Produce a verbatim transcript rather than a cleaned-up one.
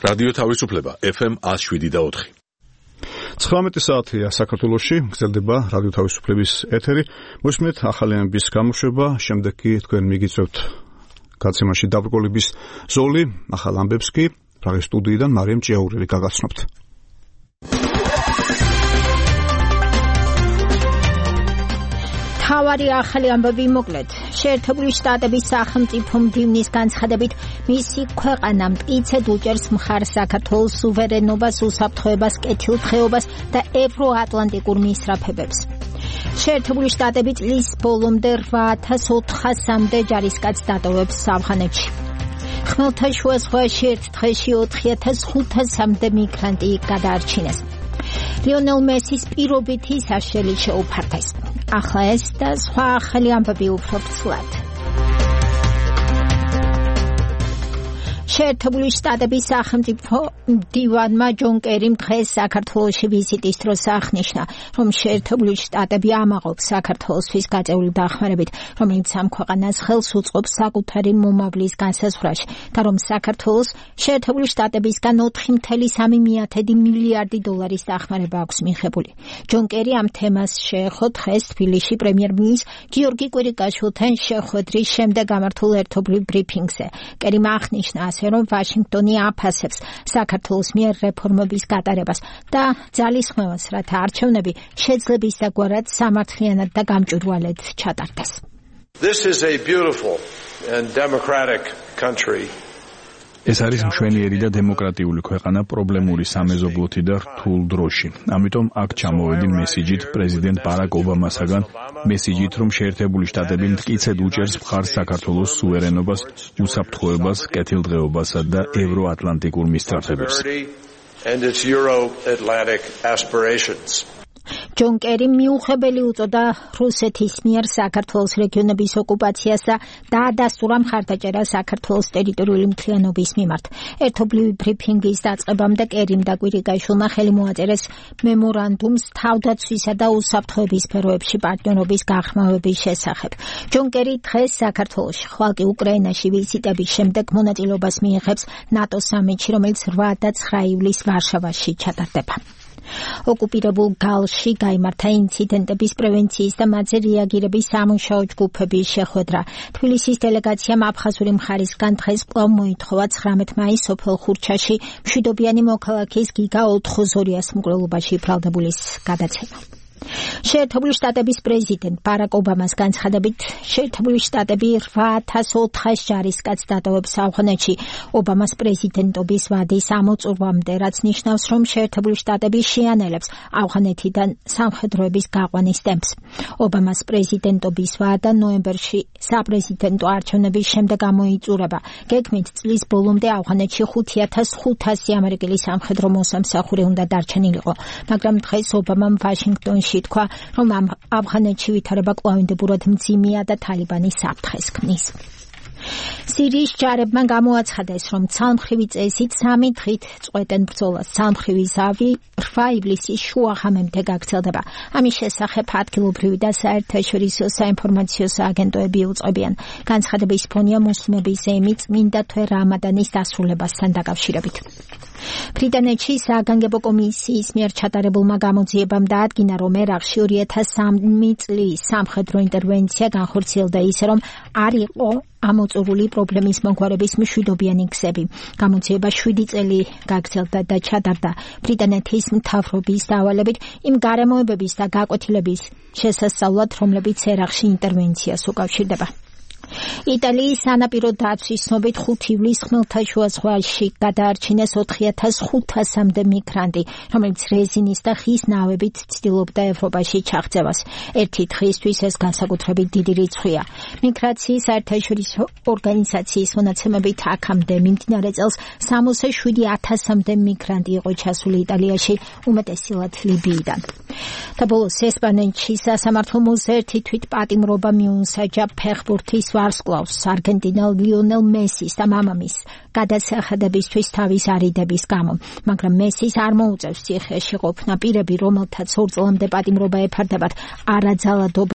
რადიო თავისუფლება ეფ ემ one oh seven და four. ცხრამეტი საათია საქართველოში, გრძელდება რადიო თავისუფლების ეთერი. მოსმენთ ახალი ამბის გამოშვება, შემდეგ კი თქვენ მიგიწევთ გაცემაში დაბრკოლების ზოლი, ახალ ამბებს კი პრაღის სტუდიიდან მარიამ ჭიაურელი გაგაცნობთ. თავარი ახალი ამბები მოკლედ. შეერთებული შტატების სახელმწიფო მდივნის განცხადებით, მისი ქვეყანა მტკიცედ უჭერს მხარს საქართველოს სუვერენობას, უსაფრთხოებას, კეთილდღეობას და ევროატლანტიკურ მისწრაფებებს. შეერთებული შტატები წლის ბოლომდე eight thousand four hundred-მდე ჯარისკაცს დატოვებს ავღანეთში. ხმელთაშუა ზღვაში ერთ დღეში four thousand five hundred-მდე მიგრანტი გადაარჩინეს. ლიონელ მესის პირობითი საშელი შეუფარდეს. ახლა ეს და სხვა ახალი ამბები უფრო ფცლად. შეერთებული შტატების სახელმწიფო მდივანმა ჯონ კერიმ დღეს საქართველოში ვიზიტის დროს აღნიშნა, რომ შეერთებული შტატები ამაყობს საქართველოსთვის გაწეული დახმარებით, რომელიც ამ ქვეყანას ხელს უწყობს საკუთარი მომავლის განსაზღვრაში და რომ საქართველოს შეერთებული შტატებისგან four point three მილიარდი დოლარის დახმარება აქვს მიღებული. ჯონ კერი ამ თემას შეეხო დღეს თბილისში პრემიერ-მინისტრ გიორგი კვირიკაშვილთან შეხვედრის შემდეგ გამართულ ერთობლივ ბრიფინგზე. კერიმ აღნიშნა, რომ ვაშინგტონი აფასებს საქართველოს მიერ რეფორმების გატარებას და ძალისხმევას, რათა არჩევნები შეძლებისდაგვარად სამართლიანად და გამჭვირვალედ ჩატარდეს. This is a beautiful and democratic country. ეს არის მშვენიერი და დემოკრატიული ქვეყანა პრობლემური სამეზობლოთი და რთულ დროში. ამიტომ აქ ჩამოვედი მესიჯით პრეზიდენტ ბარაკ ობამასაგან, მესიჯით, რომ შეერთებული შტატები მტკიცედ უჭერს მხარს საქართველოს სუვერენობას, უსაფრთხოებას, კეთილდღეობასა და ევროატლანტიკურ მისწრაფებებს. And its Euro-Atlantic aspirations. ჯონ კერი მიუღებელი უწოდა რუსეთის მიერ საქართველოს რეგიონების ოკუპაციას და დაადასტურა მხარდაჭერა საქართველოს ტერიტორიული მთლიანობის მიმართ. ერთობლივი ბრიფინგის დაწყებამდე კერიმ და კვირიკაშვილმა ხელი მოაწერეს მემორანდუმს თავდაცვისა და უსაფრთხოების სფეროებში პარტნიორობის გაღრმავების შესახებ. ჯონ კერი დღეს საქართველოში, ხვალ კი უკრაინაში ვიზიტების შემდეგ მონაწილეობას მიიღებს ნატო სამიტში, რომელიც eight და nine ივლისს ვარშავაში ჩატარდება. ოკუპირებულ გალში გაიმართა ინციდენტების პრევენციის და მათზე რეაგირების სამუშაო ჯგუფების შეხვედრა. თბილისის დელეგაციამ აფხაზური მხარისგან დღეს კვლავ მოითხოვა ცხრამეტ მაისს სოფელ ხურჩაში მშვიდობიანი მოქალაქის გიგა ოთხოზორიას მკვლელობაში ბრალდებულის გადაცემა. შეერთებული შტატების პრეზიდენტ ბარაკ ობამას განცხადებით, შეერთებული შტატები eight thousand four hundred ჯარისკაცს დატოვებს ავღანეთში. ობამას პრეზიდენტობის ვადის ამოწურვამდე, რაც ნიშნავს, რომ შეერთებული შტატები შეანელებს ავღანეთიდან სამხედროების გაყვანის ტემპს. ობამას პრეზიდენტობის ვადა ნოემბერში საპრეზიდენტო არჩევნების შემდეგ გამოიწურება. გეგმით წლის ბოლომდე ავღანეთში five thousand five hundred ამერიკელი სამხედრო მოსამსახური უნდა დარჩენილიყო, მაგრამ დღეს ობამამ ვაშინგტონში თქვა, რომ ამ ავღანეთში ვითარება კვლავინდებურად მძიმეა და თალიბანი საფრთხეს ქმნის. სირიის ჯარებმა გამოაცხადეს, რომ ცალმხრივი წესით სამი დღით წყვეტენ ბრძოლას. ცალმხრივი ზავი eight ივლისის შუაღამემდე გაგრძელდება. ამის შესახებ ადგილობრივი და საერთაშორისო საინფორმაციო სააგენტოები უწყებიან. განცხადების ფონია მუსლიმების ზეიმი წმინდა თვე რამადანის დასრულებასთან დაკავშირებით. ბრიტანეთში საგანგებო კომისიის მიერ ჩატარებულმა გამოძიებამ დაადგინა, რომ ერაყში two thousand three წლის სამხედრო ინტერვენცია განხორციელდა ისე, რომ არ იყო ამოწურული პრობლემის მოგვარების მშვიდობიანი გზები. გამოძიება seven წელი გაგრძელდა და ჩატარდა ბრიტანეთის მთავრობის დავალებით იმ გარემოებების და გაკვეთილების შესასწავლად, რომლებიც ერაყში ინტერვენციას უკავშირდება. იტალიის სანაპირო დაცვის ცნობით ხუთი ივლისს ხმელთაშუა ზღვაში გადაარჩინეს four thousand five hundred-მდე მიგრანტი, რომელიც რეზინის და ხის ნავებით ცდილობდა ევროპაში ჩაღწევას. ერთი დღისთვის ეს განსაკუთრებით დიდი რიცხვია. მიგრაციის საერთაშორისო ორგანიზაციის მონაცემებით აქამდე მიმდინარე წელს sixty-seven thousand-მდე მიგრანტი იყო ჩასული იტალიაში, უმეტესად ლიბიიდან. და ბოლოს ესპანეთში სასამართლო მოზერთი თვით პატიმრობა მიუნსაჯა ფეხბურთის ვარსკვლავს არგენტინელ ლიონელ მესის და მამამის გადასახადებისთვის თავის არიდების გამო, მაგრამ მესის არ მოუწევს ციხეში ყოფნა პირები, რომელთაც ორ წლამდე პატიმრობა ეფარდებათ არაძალადობ